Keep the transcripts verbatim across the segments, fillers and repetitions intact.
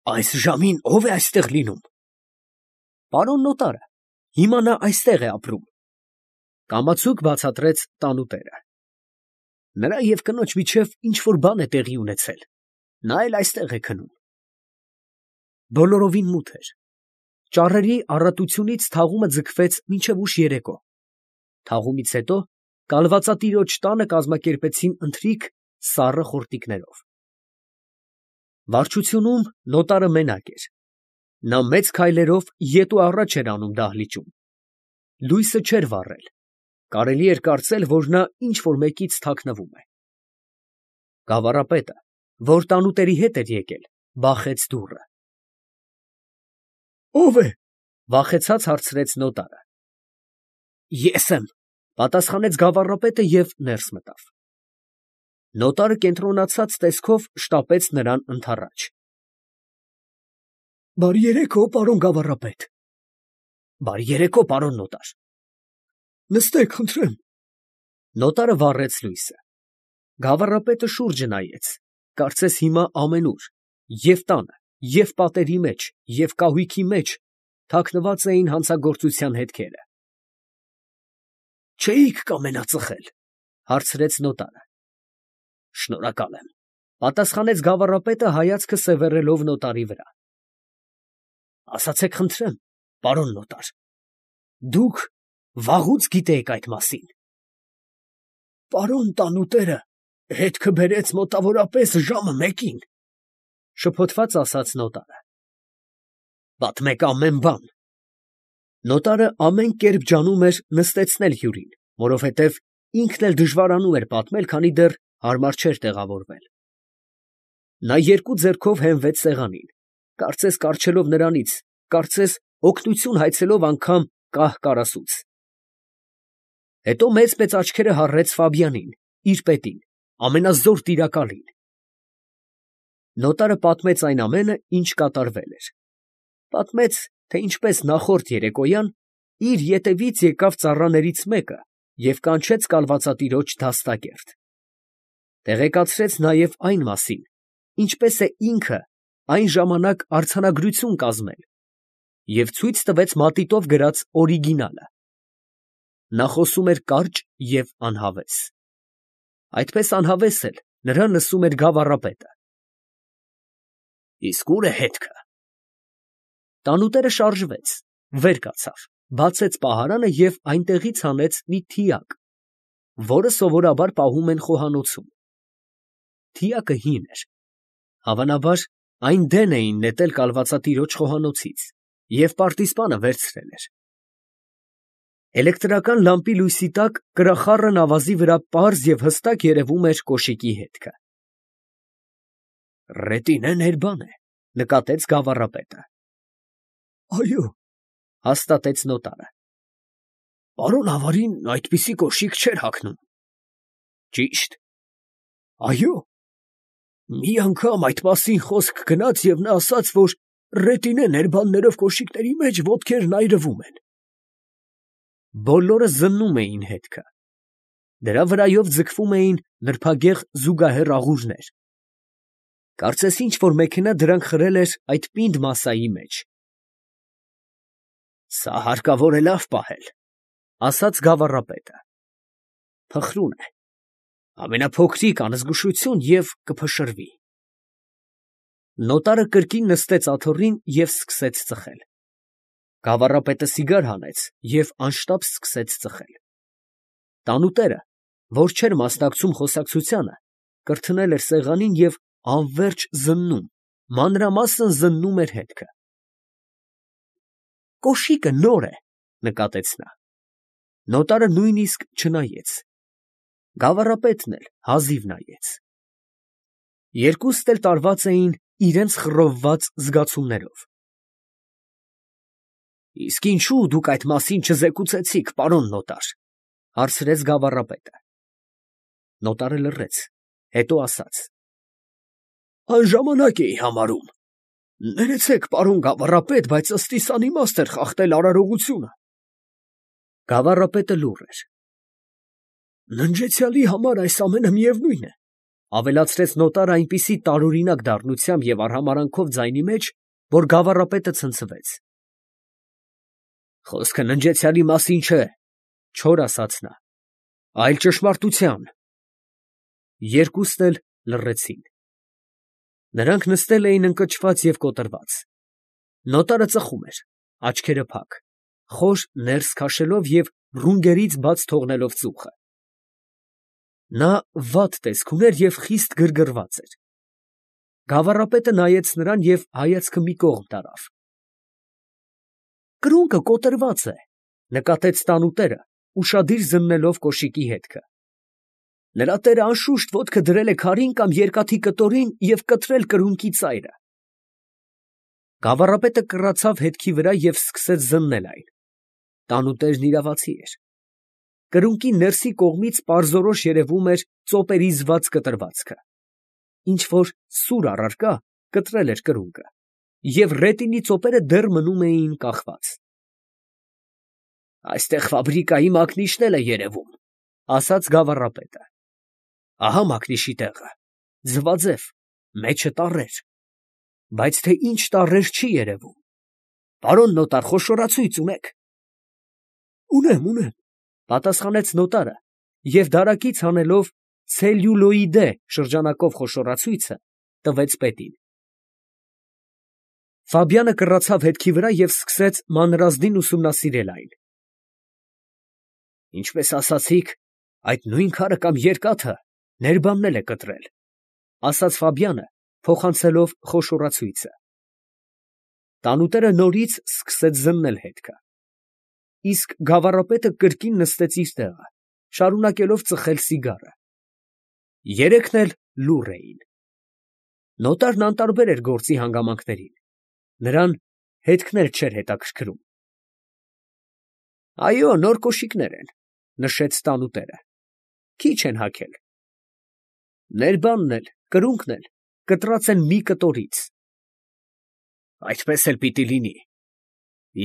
Այս ժամին ո՞վ է այստեղ լինում։ Պարոն նոտարը, հիմա նա այստեղ է ապրում։ Կամացուկ բացատրեց տանուտերը։ Նրա և կնոջ միջև ինչ֊որ բան է տեղի ունեցել, նա էլ այստեղ է քնում։ Բոլորովին մութ էր։ Ճառերի առատությունից թաղումը ձգվեց մինչև ուշ երեկո։ Թաղումից հետո կալվածատիրոջ տանը կազմակերպեցին ընթրիք սառը խորտիկներով։ Վարչությունում նոտարը մենակ էր։ Նա մեծ քայլերով ետու առաջ էր անում դահլիճում։ Լույսը չէր վառել։ Կարելի էր կարծել, որ նա ինչ֊որ մեկից թաքնվում է։ Գավառապետը, որ տանուտերի հետ էր եկել, բախեց դուռը։ Ո՞վ է, վախեցած հարցրեց նոտարը։ Ես եմ, պատասխանեց գավառապետը և ներս մտավ։ Նոտարը կենտրոնացած տեսքով շտապեց նրան ընդառաջ։ Բարի երեկո, պարոն գավառապետ։ Բարի երեկո, պարոն նոտար։ Նստեք, խնդրեմ։ Նոտարը վառեց լույսը։ Գավառապետը շուրջը նայեց, կարծես հիմա ամենուր, և տանը, և պատերի մեջ, և կահույքի մեջ թաքնված էին հանցագործության հետքերը։ Չէի՞ք կամենա ծխել, հարցրեց նոտարը։ Շնորհակալ եմ, պատասխանեց գավառապետը հայացքը սևեռելով նոտարի վրա։ Ասացեք խնդրեմ, պարոն նոտար, դուք վաղուց գիտեիք այդ մասին։ Պարոն տանուտերը հետքը բերեց մոտավորապես ժամը մեկին, շփոթված ասաց նոտարը։ Պատմեք ամեն բան։ Նոտարը ամեն կերպ ջանում էր նստեցնել հյուրին, որովհետև ինքն էլ դժվարանում էր պատմել, քանի դեռ հարմար չէր տեղավորվել։ Նա երկու ձեռքով հենվեց սեղանին, կարծես կառչելով նրանից, կարծես օգնություն հայցելով անգամ կահ֊կարասուց։ Հետո մեծ֊մեծ աչքերը հառեց Ֆաբյանին, իր պետին, ամենազոր տիրակալին։ Նոտարը պատմեց այն ամենը, ինչ կատարվել էր։ Պատմեց, թե ինչպես նախորդ երեկոյան իր ետևից եկավ ծառաներից մեկը և կանչեց կալվածատիրոջ դաստակերտ։ Տեղեկացրեց նաև այն մասին, ինչպես է ինքը այն ժամանակ արձանագրություն կազմել և ցույց տվեց մատիտով գրած օրիգինալը։ Նա խոսում էր կարճ և անհավես։ Այդպես անհավես էլ նրան լսում էր գավառապետը։ Իսկ ո՞ւր է հետքը։ Տանուտերը շարժվեց, վեր կացավ, բացեց պահարանը և այնտեղից հանեց մի թիակ, որը սովորաբար պահում են խոհանոցում։ Թիակը հին էր, հավանաբար այն դեն էին նետել կալվածատիրոջ խոհանոցից և պարտիզպանը վերցրել էր։ Էլեկտրական լամպի լույսի տակ կրախառն ավազի վրա պարզ և հստակ երևում էր կոշիկի հետքը։ Ռետինե է, նկատեց գավառապետը։ Այո, հաստատեց նոտարը։ Պարոն ավարին այդպիսի կոշիկ չէր հագնում։ Ճիշտ։ Այո։ Մի անգամ այդ մասին խոսք գնաց և նա ասաց, որ ռետինե ներբաններով կոշիկների մեջ ոտքերն այրվում են։ Բոլորը զննում էին հետքը։ Դրա վրայով ձգվում էին նրբագեղ զուգահեռ աղուրներ։ Կարծես ինչ֊որ մեքենա դրանք խրել էր այդ պինդ մասայի մեջ։ Սա հարկավոր է լավ պահել, ասաց գավառապետը։ Փխրուն է, ամենափոքրիկ անզգուշություն և կփշրվի։ Նոտարը կրկին նստեց աթոռին և սկսեց ծխել։ Գավառապետը սիգար հանեց և անշտապ սկսեց ծխել։ Տանուտերը, որ չէր մասնակցում խոսակցությանը, կրթնել էր սեղանին և անվերջ զննում, մանրամասն զննում էր հետքը։ Կոշիկը նոր է, նկատեց նա։ Նոտարը նույնիսկ չնայեց։ Գավառապետն էլ հազիվ նայեց։ Երկուստ էլ տարված էին իրենց խռովված զգացումներով։ Իսկ ինչո՞ւ դուք այդ մասին չզեկուցեցիք, պարոն նոտար, հարցրեց գավառապետը։ Նոտարը լռեց, հետո ասաց. Անժամանակ էի համարում։ Ներեցեք, պարոն գավառապետ, բայց ըստիս անիմաստ էր խախտել արարողությունը։ Գավառապետը լուռ էր։ Ննջեցյալի համար այս ամենը միևնույն է, Ավելացրեց նոտարը այնպիսի տարօրինակ դառնությամբ և արհամարհանքով ձայնի մեջ, որ գավառապետը ցնցվեց։ Խոսքը ննջեցյալի մասին չէ, չոր ասաց նա, այլ ճշմարտության։ Երկուսն էլ լռեցին։ Նրանք նստել էին ընկճված և կոտրված։ Նոտարը ծխում էր, աչքերը փակ, խոր ներս քաշելով և ռունգերից բաց թողնելով ծուխը։ Նա վատ տեսք ուներ և խիստ գրգռված էր։ Գավառապետը նայեց նրան և հայացքը մի կողմ տարավ։ Կրունկը կոտրված է, նկատեց տանուտերը, ուշադիր զննելով կոշիկի հետքը։ Նրա տերը անշուշտ ոտքը դրել է քարին կամ երկաթի կտորին և կտրել կրունկի ծայրը։ Գավառապետը կռացավ հետքի վրա և սկսեց զննել այն։ Տանուտերն իրավացի էր։ Կրունկի ներսի կողմից պարզորոշ երևում էր ծոպերի զված կտրվածքը։ Ինչ֊որ սուր առարկա կտրել էր կրունկը, և ռետինի ծոպերը դեռ մնում էին կախված։ Այստեղ ֆաբրիկայի մակնիշն էլ է երևում, ֊ ասաց գավառապետը։ Ահա մակնիշի տեղը, ձվաձև, մեջը տառեր, բայց թե ինչ տառեր չի երևում։ Պարոն նոտար, խոշորացույց ունե՞ք։ Ունեմ, ունեմ, ֊ պատասխանեց նոտարը և դարակից հանելով ցելյուլոիդե շրջանակով խոշորացույցը, տվեց պետին։ Ֆաբյանը կռացավ հետքի վրա և սկսեց մանրազդին ուսումնասիրել այն։ Ինչպես ասացիք, այդ նույն քարը կամ երկաթը ներբանն էլ է կտրել, ֊ ասաց Ֆաբյանը, փոխանցելով խոշորացույցը։ Տանուտերը նորից սկսեց զննել հետքը։ Իսկ գավառապետը կրկին նստեց իր տեղը, շարունակելով ծխել սիգարը։ Երեքն էլ լուռ էին։ Նոտարն անտարբեր էր գործի հանգամանքներին, նրան հետքն էլ չէր հետաքրքրում։ Այո, նոր կոշիկներ են, ֊ նշեց տանուտերը, քիչ են հագել։ Ներբանն էլ, կրունկն էլ կտրած են մի կտորից։ Այդպես էլ պիտի լինի,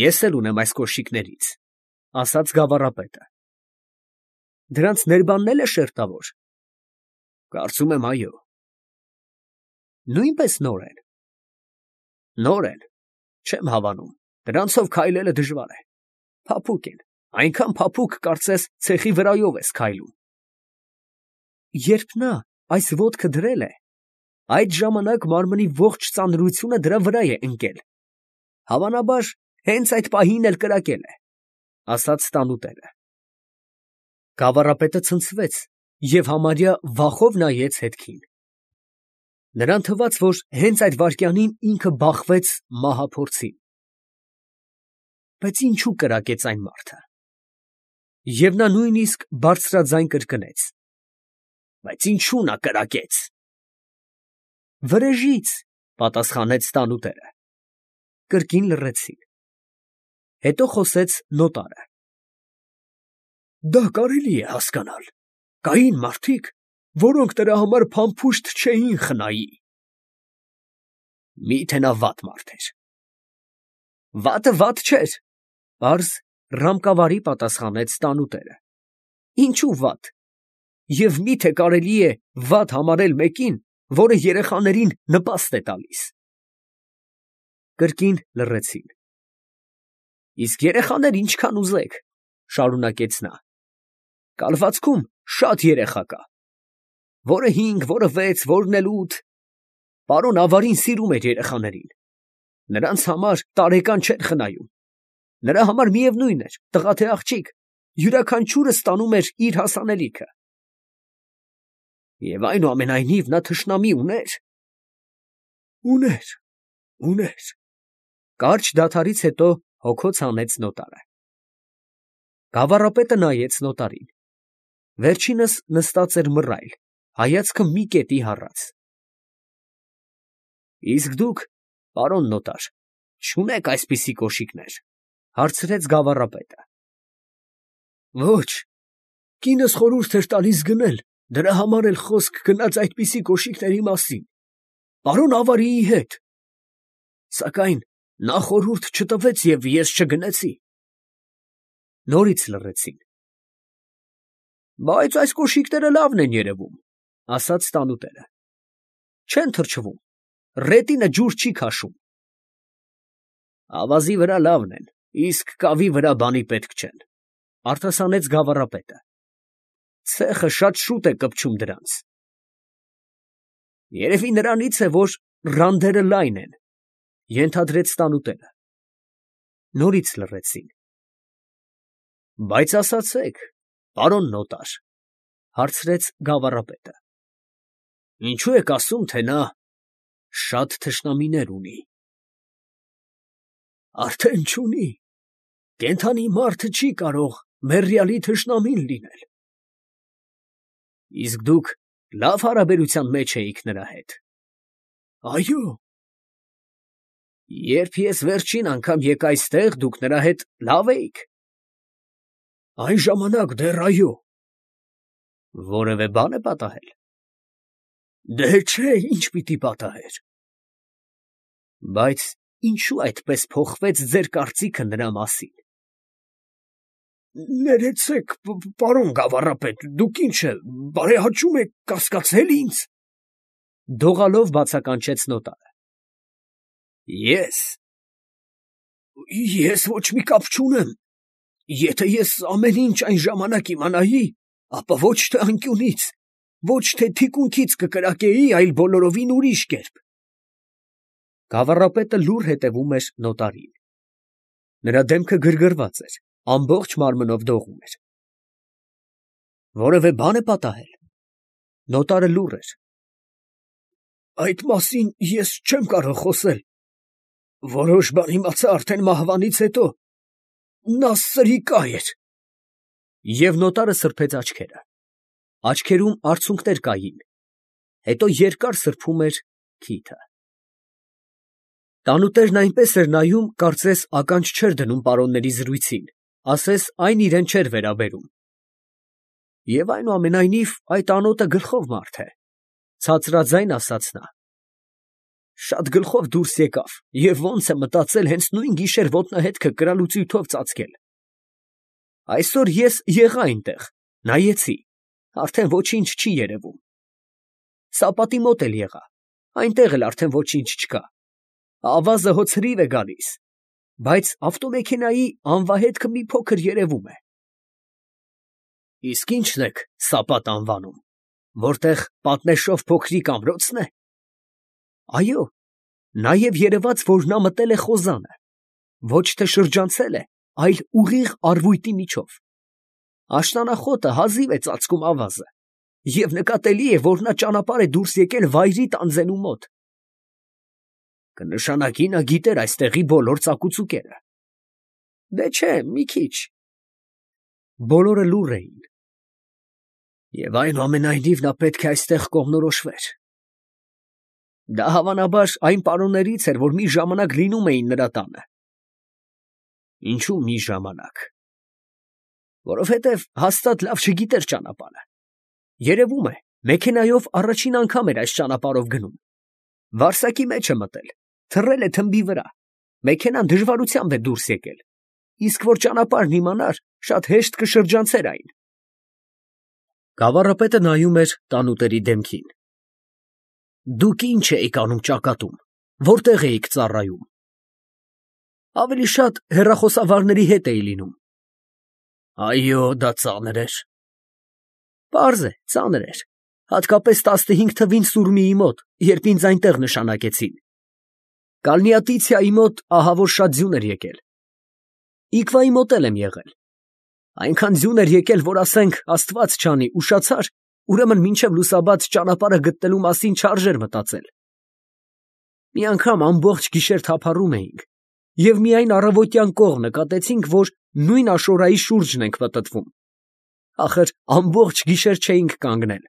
ես էլ ունեմ այս կոշիկներից, ֊ ասաց գավառապետը։ Դրանց ներբանն էլ է շերտավոր։ Կարծում եմ, այո։ Նույնպես նոր են։ Նոր են, չեմ հավանում, դրանցով քայլելը դժվար է, փափուկ են, այնքան փափուկ, կարծես ցեխի վրայով ես քայլում։ Երբ նա այս ոտքը դրել է, այդ ժամանակ մարմնի ողջ ծանրությունը դրա վրա է ընկել, հավանաբար, հենց այդ պահին էլ կրակել է, ֊ ասաց տանուտերը։ Գավառապետը ցնցվեց և համարյա վախով նայեց հետքին։ Նրան թվաց, որ հենց այդ վայրկյանին ինքը բախվեց մահափորձին։ Բայց ինչո՞ւ կրակեց այն մարդը։ Եվ նա նույնիսկ բարձրաձայն կրկնեց. Բայց ինչո՞ւ նա կրակեց։ Վրեժից, ֊ պատասխանեց տանուտերը։ Կրկին լռեցին։ Հետո խոսեց նոտարը. Դա կարելի է հասկանալ. կային մարդիկ, որոնք նրա համար փամփուշտ չէին խնայի։ Մի՞թե նա վատ մարդ էր։ Վատը վատ չէր, պարզ ռամկավարի պատասխանեց տանուտերը։ Ինչու վատ։ Եվ մի՞թե կարելի է վատ համարել մեկին, որը երեխաներին նպաստ է տալիս։ Կրկին լռեցին։ Իսկ երեխաներ ինչքան ուզեք, ֊ շարունակեց նա, կալվածքում շատ երեխա կա, որը հինգ, որը վեց, որն էլ ութ։ Պարոն ավարին սիրում էր երեխաներին, նրանց համար տարեկան չէր խնայում, նրա համար միևնույն էր, տղա թե աղջիկ, յուրաքանչյուրը ստանում էր իր հասանելիքը։ Եվ այնուամենայնիվ նա թշնամի ուներ։ Ուներ, ուներ, ֊ կարճ դադարից հետո հոգոց հանեց նոտարը։ Գավառապետը նայեց նոտարին։ Վերջինս նստած էր մռայլ, հայացքը մի կետի հառած։ Իսկ դուք, պարոն նոտար, չունե՞ք այսպիսի կոշիկներ, ֊ հարցրեց գավառապետը։ Ոչ, կինս խորհուրդ էր տալիս գնել, դրա համար էլ խոսք գնաց այդպիսի կոշիկների մասին, պարոն ավարիի հետ, սակայն նա խորհուրդ չտվեց և ես չգնեցի։ Նորից լռեցին։ Բայց այս կոշիկները լավն են երևում, ասաց տանուտերը։ Չեն թրջվում, ռետինը ջուր չի քաշում։ Ավազի վրա լավն են, իսկ կավի վրա բանի պետք չեն, արտասանեց գավառապետը։ Ցեխը շատ շուտ է կպչում դրանց։ Երևի նրանից է, որ ռանդերը լայն են, ենթադրեց տանուտերը։ Նորից լռեցին։ Բայց ասացեք, պարոն նոտար, հարցրեց գավառապետը, ինչու եք ասում, թե նա շատ թշնամիներ ունի։ Արդեն չունի, կենդանի մարդը չի կարող մեռյալի թշնամին լինել։ Իսկ դուք լավ հարաբերության մեջ էիք նրա հետ։ Այո։ Երբ ես վերջին անգամ եկա այստեղ, դուք նրա հետ լավ էիք։ Այն ժամանակ դեռ այո։ Որևէ բան է պատահել։ Դե չէ, ինչ պիտի պատահեր։ Բայց ինչու այդպես փոխվեց ձեր կարծիքը նրա մասին։ Ներեցեք, պարոն գավառապետ, դուք ինչ է, բարեհաճում եք կասկածել ինձ։ Դողալով բացականչեց նոտարը։ Ես։ Ես ոչ մի կապ չունեմ։ Եթե ես ամեն ինչ այն ժամանակ իմանայի, ապա ոչ թե անկյունից, ոչ թե թիկունքից կկրակեի, այլ բոլորովին ուրիշ կերպ։ Գավառապետը լուռ հետևում էր նոտարին։ Նրա դեմքը գրգռված էր, ամբողջ մարմնով դողում էր։ Որևէ բան է պատահել։ Նոտարը լուռ էր։ Այդ մասին ես չեմ կարող խոսել։ Որոշ բան իմացա արդեն մահվանից հետո։ Նա սրիկա էր։ Եվ նոտարը սրբեց աչքերը։ Աչքերում արցունքներ կային, հետո երկար սրբում էր քիթը։ Տանուտերն այնպես էր նայում, կարծես ականջ չէր դնում պարոնների զրույցին, ասես այն իրեն չէր վերաբերում։ Եվ այնուամենայնիվ այդ անոտը գլխով մարդ է, ցածրաձայն ասաց նա։ Շատ գլխով դուրս եկավ և ոնց է մտածել հենց նույն գիշեր ոտնահետքը կրալուծույթով ծածկել։ Այսօր ես եղա այնտեղ, նայեցի, արդեն ոչինչ չի երևում։ Սապատի մոտ էլ եղա, այնտեղ էլ արդեն ոչինչ չկա։ Ավազը հո ցրիվ է գալիս, բայց ավտոմեքենայի անվահետքը մի փոքր երևում է։ Իսկ ի՞նչն եք Սապատ անվանում, որտեղ պատնեշով փոքրիկ ամրոցն է։ Այո, նաև երևաց, որ նա մտել է խոզանը, ոչ թե շրջանցել է, այլ ուղիղ արվույտի միջով։ Աշնանախոտը հազիվ է ծածկում ավազը, և նկատելի է, որ նա ճանապարհ է դուրս եկել վայրի տանձենու մոտ։ Կնշանակի նա գիտեր այստեղի բոլոր ծակուցուկերը։ Դե չէ, մի քիչ։ Բոլորը լուռ էին։ Եվ այնուամենայնիվ նա պետք է այստեղ կողմնորոշվեր։ Դա հավանաբար այն պարոններից էր, որ մի ժամանակ լինում էին նրա տանը։ Ինչու մի ժամանակ։ Որովհետև հաստատ լավ չգիտեր ճանապարհը։ Երևում է, մեքենայով առաջին անգամ էր այս ճանապարհով գնում։ Վարսակի մեջ է մտել, թռել է թմբի վրա, մեքենան դժվարությամբ է դուրս եկել, իսկ որ ճանապարհն իմանար, շատ հեշտ կշրջանցեր այն։ Գավառապետը նայում էր տանուտերի դեմքին։ Դուք ինչ էիք անում ճակատում, որտեղ էիք ծառայում։ Ավելի շատ հեռախոսավարների հետ էի լինում։ Այո, դա ծանր էր։ Պարզ է, ծանր էր, հատկապես տասնհինգ թվին Սուրմիի մոտ, երբ ինձ այնտեղ նշանակեցին։ Կալնիատիցիայի մոտ ահա որ շատ ձյուն էր եկել։ Իքվայի մոտ էլ եմ եղել։ Այնքան ձյուն էր եկել, որ ասենք Աստված չանի, ուշացար, ուրեմն մինչև լուսաբաց ճանապարհը գտնելու մասին չարժեր մտածել։ Մի անգամ ամբողջ գիշեր թափառում էինք, և միայն առավոտյան կողմ նկատեցինք, որ նույն աշորայի շուրջն ենք պտտվում։ Ախր ամբողջ գիշեր չէինք կանգնել։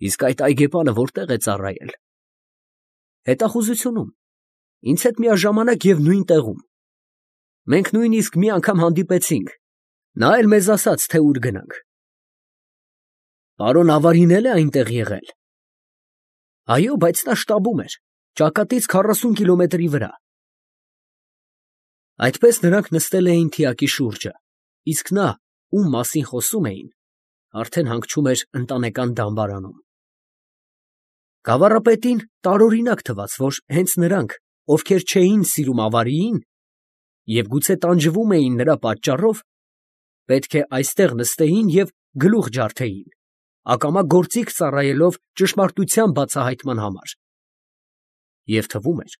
Իսկ այդ այգեպանը որտեղ է ծառայել։ Հետախուզությունում, ինձ հետ միաժամանակ և նույն տեղում։ Մենք նույնիսկ մի անգամ հանդիպեցինք, նա էլ մեզ ասաց, թե ուր գնանք։ Պարոն Ավարին էլ է այնտեղ եղել։ Այո, բայց նա շտաբում էր, ճակատից քառասուն կիլոմետրի վրա։ Այդպես նրանք նստել էին թիակի շուրջը, իսկ նա, ում մասին խոսում էին, Արդեն հանգչում էր ընտանեկան դամբարանում։ Գավառապետին տարօրինակ թվաց, որ հենց նրանք, ովքեր չէին սիրում ավարիին և գուցե տանջվում էին նրա պատճառով, պետք է այստեղ նստեին և գլուխ ջարդեին, ակամա գործիք ծառայելով ճշմարտության բացահայտման համար։ Եվ թվում էր,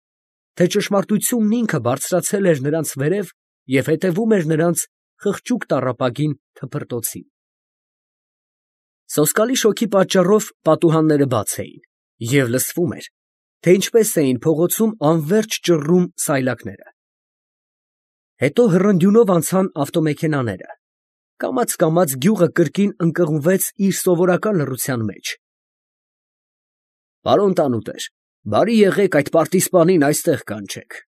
թե ճշմարտությունն ինքը բարձրացել էր նրանց վերև և հետևում էր նրանց խղճուկ տառապագին թփրտոցին։ Սոսկալի շոգի պատճառով պատուհանները բաց էին, և լսվում էր, թե ինչպես էին փողոցում անվերջ ճռռում սայլակները։ Հետո հռնդյունով անցան ավտոմեքենաները, կամաց֊կամաց գյուղը կրկին ընկղմվեց իր սովորական լռության մեջ։ «Պարոն տանուտեր, բարի եղեք այդ պարտիզպանին այստեղ կանչեք»։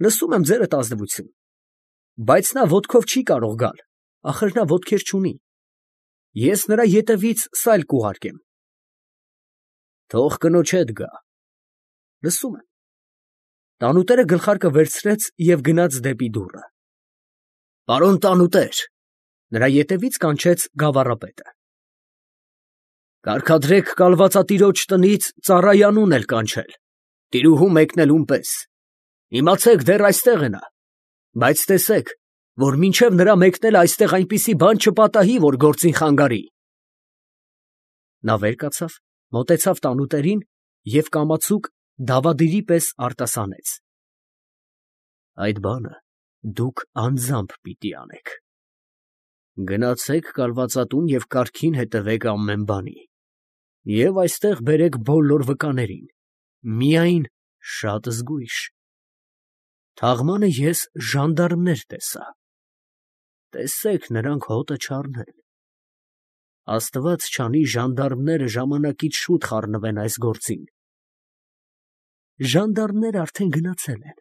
«Լսում եմ ձերդ ազնվություն, բայց նա ոտքով չի կարող գալ, ախր նա ոտքեր չունի, ես նրա ետևից սայլ կուղարկեմ»։ «Թող կնոջ հետ գա»։ «Լսում եմ»։ Տանուտերը գլխարկը վերցրեց և գնաց դեպի դուռը։ «Պարոն տանուտեր», նրա ետևից կանչեց գավառապետը։ «Կարգադրեք կալվածատիրոջ տնից ծառայանուն էլ կանչել, տիրուհու մեկնելուն պես, իմացեք դեռ այստեղ է նա, բայց տեսեք, որ մինչև նրա մեկնելը այստեղ այնպիսի բան չպատահի, որ գործին խանգարի»։ Նա վեր կացավ, մոտեցավ տանուտերին և կամացուկ դավադիրի պես արտասանեց. «Այդ բանը դուք անձամբ պիտի անեք. գնացեք կալվածատուն և կարգին հետևեք ամեն բանի, և այստեղ բերեք բոլոր վկաներին, միայն շատ զգույշ. թաղմանը ես ժանդարմներ տեսա, տեսեք նրանք հոտը չառնեն. Աստված չանի ժանդարմները ժամանակից շուտ խառնվեն այս գործին»։ Ժանդարմները արդեն գնացել են։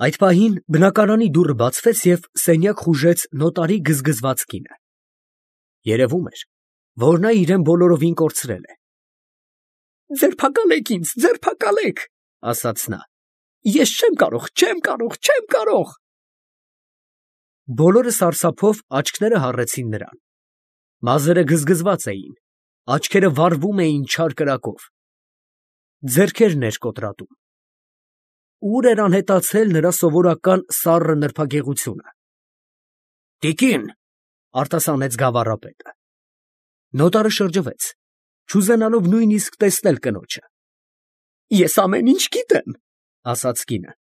Այդ պահին բնակարանի դուռը բացվեց և սենյակ խուժեց նոտարի գզգզված կինը։ Երևում էր, որ նա իրան բոլորովին կորցրել է։ «Ձերբակալեք ինձ, ձերբակալեք», ասաց նա, «ես չեմ կարող, չեմ կարող, չեմ կարող»։ Բոլորը սարսափով աչքերը հառեցին նրան։ Մազերը գզգզված էին, աչքերը վառվում էին չար կրակով, ձեռքերն էր կոտրատում։ Ուր էր անհետացել նրա սովորական սառը նրբագեղությունը։ «Տիկին», արտասանեց գավառապետը։ Նոտարը շրջվեց, չուզենալով նույնիսկ տեսնել կնոջը։ «Ես ամեն ինչ գիտեմ», ասաց կինը։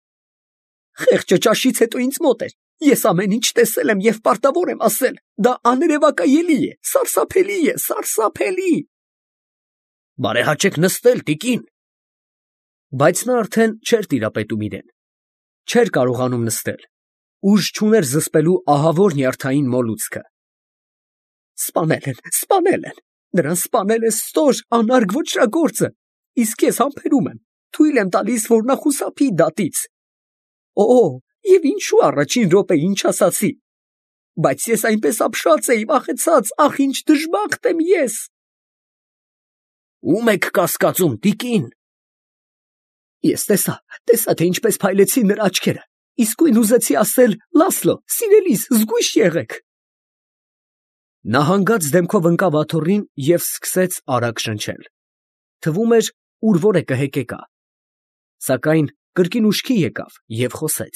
«Խեղճը ճաշից հետո ինձ մոտ էր, ես ամեն ինչ տեսել եմ և պարտավոր եմ ասել, դա աներևակայելի է, սարսափելի է, սարսափելի»։ «Բարեհաճեք նստել, տիկին»։ Բայց նա արդեն չէր տիրապետում իրան, չէր կարողանում նստել, ուժ չուներ զսպելու ահավոր նյարդային մոլուցքը։ «Սպանել են, սպանել են, նրան սպանել է ստոր անարգ ոճրագործը, իսկ ես համբերում եմ, թույլ եմ տալիս, որ նա խուսափի դատից։ Օ, և ինչու առաջին րոպեին չասացի, բայց ես այնպես ապշած էի, վախեցած, ախ, ինչ դժբախտ եմ ես»։ «Ո՞ւմ եք կասկածում, տիկին»։ «Ես տեսա, տեսա, թե ինչպես փայլեցին նրա աչքերը, իսկույն ուզեցի ասել. «Լասլո, սիրելիս, զգույշ եղեք»։ Նա հանգած դեմքով ընկավ աթոռին և սկսեց արագ շնչել։ Թվում էր, ուր որ է կհեկեկա, սակայն կրկին ուշքի եկավ և խոսեց.